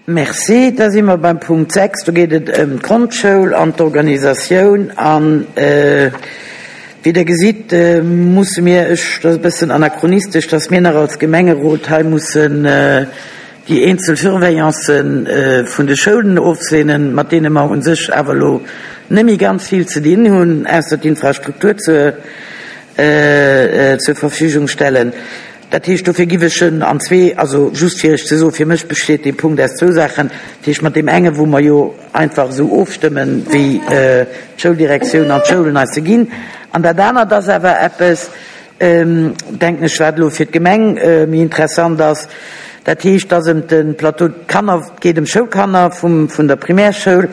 Merci. Da si mer beim Punkt 6. Do geet et ëm d'Grondschoul an d'Organisatioun. An wéi Der gesitt, musse mir, ech, dat ass e bëssen anachronistesch, dass mir nach als Gemengerot hei mussen déi eenzel Surveillancen vun de Schoulen ofseenen, mat deene mer u sech awer elo net méi ganz vill ze dinn hunn, ausser d'Infrastruktur zur Verfügung stellen. Dat heescht, dofir giff ech en an zwee, also just fir Iech ze soen, fir mech besteet dee Punkt aus zwou Saachen, dat heescht mat deem enge wou mer jo einfach esou ofstëmmen, wéi d'Schouldirektioun an d'Schoulen eis se ginn, an dat anert ass awer eppes, denken ech, wat elo fir d'Gemeng méi interessant ass, dat heescht, dass ëm de Plateau, d'Kanner, et geet ëm Schoulkanner vum, vun der Primärschoul,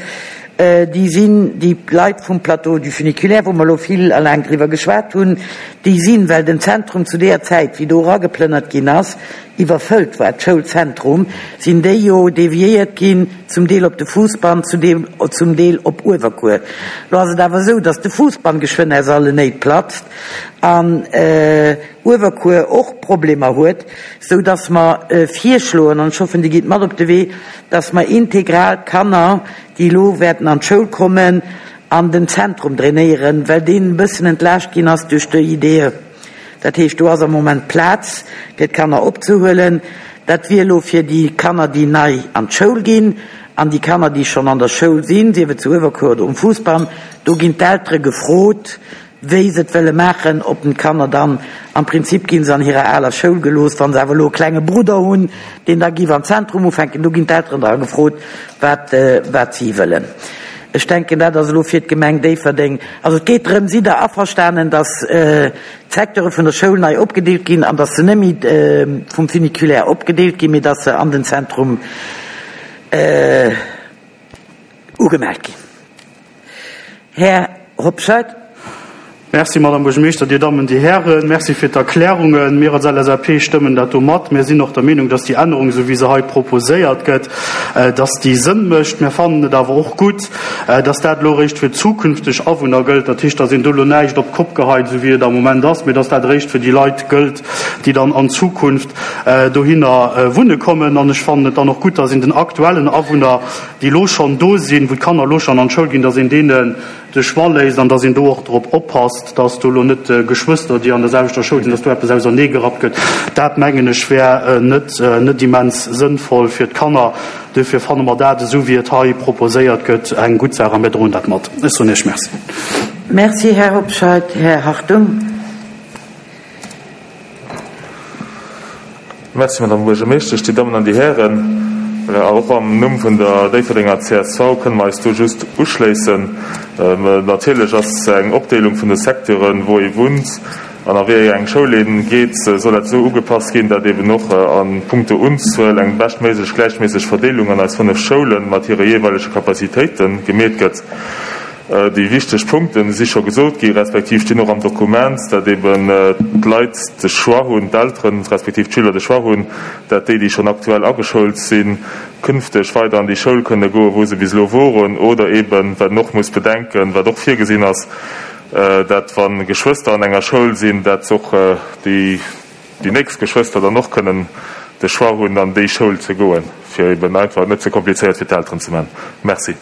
déi sinn, déi Leit vum Plateau du Funiculaire, wou mer elo vill a laang driwwer geschwat hunn, déi sinn, well den Zentrum zu deeër Zäit, wéi do erageplënnert ginn ass, iwwerfëllt war, d'Schoulzentrum, sinn déi jo deviéiert ginn, zum Deel op de Fousbann, zum Deel op Uewerkuer. Elo ass et awer esou, datt de Fousbann geschwënn aus allen Néit platzt an Uewerkuer och Problemer huet, esou datt mer virschloen, an ech hoffen, Dir gitt mat op de Wee, datt mer integral d'Kanner, déi elo wäerten an d'Schoul kommen, an den Zentrum drainéieren, well deen e bëssen entlaascht ginn ass duerch de IDE. Dat heescht, do ass am Moment Plaz, fir d'Kanner opzehuelen. Dat wier elo fir déi Kanner, déi nei an d'Schoul ginn, an déi Kanner, déi schonn an der Schoul sinn, sief et zu Uewerkuer oder um Fousbann, do ginn d'Eltere gefrot, wéi se et wëlle maachen, ob den d'Kanner dann, am Prinzip ginn se an hirer aler Schoul gelooss, wa se awer elo e klenge Brudder hunn, deen da giff am Zentrum ufänken, do ginn d'Elteren dra gefrot, wat, wat si wëllen. Ech denken, dat ass elo fir d'Gemeng Déifferdeng. Also et geet drëm, sidd Der averstanen, datt d'Secteure vun der Schoul nei opgedeelt ginn an datt se net méi vum Funiculaire opgedeelt ginn, mee datt se an den Zentrum ugemellt ginn? Här Hobscheit. Merci, Madame Buergermeeschter, Dir Dammen, Dir Hären. Merci fir d'Erklärungen. Mir als LSAP stëmmen dat do mat. Mir sinn och der Meenung, dass déi Ännerung, esou wéi se hei proposéiert gëtt, dass déi Sënn mécht. Mir fannen et awer och gutt, dass dat elo eréischt fir zukünfteg Awunner gëllt. Dat heescht, dass een do elo näischt op d'Kopp geheit, esou wéi et am Moment ass, mee dass dat eréischt fir déi Leit gëllt, déi dann an Zukunft dohinner wunne kommen. An ech fannen et dann och gutt, dass een den aktuellen Awunner, déi elo schonn do sinn, wou d'Kanner elo schonn an d'Schoul ginn, dass een deenen de Choix léisst an dass een do och drop oppasst, dass do elo net Geschwëster, déi an der selwechter Schoul sinn, dass do eppes auserneegerappt gëtt. Dat, mengen ech, wär net, net immens sënnvoll fir d'Kanner. Duerfir fanne mer dat, esou wéi et hei proposéiert gëtt, eng gutt Saach a mir droen dat mat. Ech soen Iech Merci. Merci, Här Hobscheit. Här Hartung. Merci, Madame Buergermeeschtesch, Dir Dammen an Dir Hären. Och am Numm vun der Déifferdenger csv kënne mer eis do just uschléissen. Natierlech ass eng Opdeelung vun de Secteuren, wou ee wunnt an a wéi eng Schoul ee geet, soll dat esou ugepasst ginn, dat eben och a punkto Unzuel eng beschtméiglech gläichméisseg Verdeelung an eis 5 Schoule mat hire jeeweilege Capacitéite gemeet gëtt. Déi wichteg Punkte si scho gesot gi respektiv stinn och am Dokument, dat eben d'Leit de Choix hunn, d'Elteren respektiv d'Schüler de Choix hunn, dat déi, déi schonn aktuell ageschoult sinn, künfteg weider an déi Schoul kënne goen, wou se bis elo woren, oder eben, wat een och muss bedenken, wat och virgesinn ass, dat wa Geschwëster an enger Schoul sinn, dat och déi déi nächst Geschwëster dann och kënnen de Choix hunn, an déi Schoul ze goen, fir eben einfach et net ze komplizéiert fir d'Elteren ze man. Merci.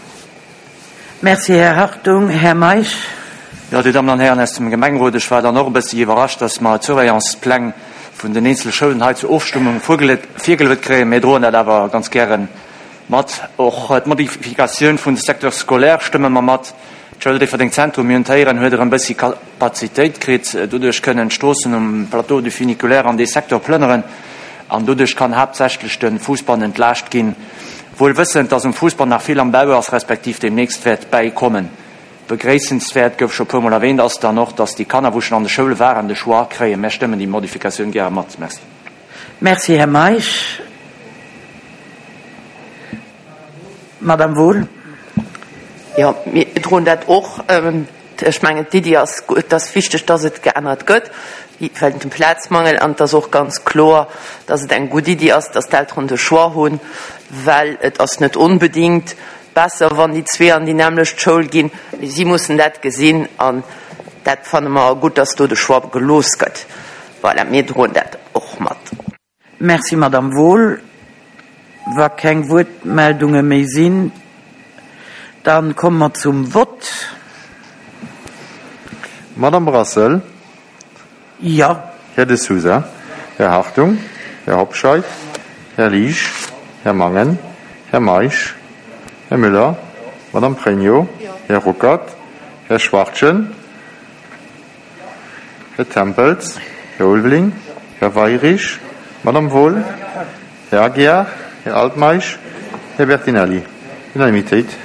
Merci, Här Hartung. Här Meisch. Jo, Dir Dammen an Hären aus dem Gemengerot, ech war dann och e bëssi iwwerrascht, dass mer d'Surveillancepläng vun den eenzele Schoulen hei zur Ofstëmmung virgeluet kréien. Mir droen dat awer ganz gäre mat. Och d'Modifikatioun vun de Secteurs scolaires stëmme mer mat. D'Schoul Déifferdeng Zentrum, mir hunn et héieren, huet erëm e bëssi Kapazitéit kritt. Doduerch kënnen d'Stroossen um Plateau du Funiculaire an dee Secteur plënneren an doduerch kann haaptsächlech de Fousbann entlaascht ginn. Wuel wëssend, dass um Fussball nach vill am Bau ass, respektiv deemnächst wäert bäikommen. Begréissenswäert, gouf scho puermol erwähnt, ass dann och, dass déi Kanner, wou schonn an de Schoule waren, de Choix kréien. Mär stëmmen déi Modifikatioun gäre mat. Merci. Merci, Här Meisch. Madame Wohl. Jo, mir droen dat och. Ech mengen, d'Iddi ass gutt, et ass wichteg, dass et geännert gëtt wéinst dem Plazmangel. An et ass och ganz kloer, dass et eng gutt Iddi ass, dass d'Elteren de Choix hunn, well et ass net onbedéngt besser, wann déi zwee an déi nämmlecht Schoul ginn. Mee si mussen dat gesinn an dat fanne mer gutt, dass do de Choix gelooss gëtt. Voilà, mir droen dat och mat. Merci, Madame Wohl. Wa keng Wuertmeldunge méi sinn, da komme mer zum Vott. Madame Brassel. Jo. Här De Sousa, Här Hartung, Här Hobscheit, Här Liesch, Här Mangen, Här Meisch, Här Müller, Madame Pregno, Här Ruckert, Här Schwachtgen, Här Tempels, Här Ulveling, Här Weyrich, Madame Wohl, Här Aguiar, Här Altmeisch, Här Bertinelli. Unanimitéit.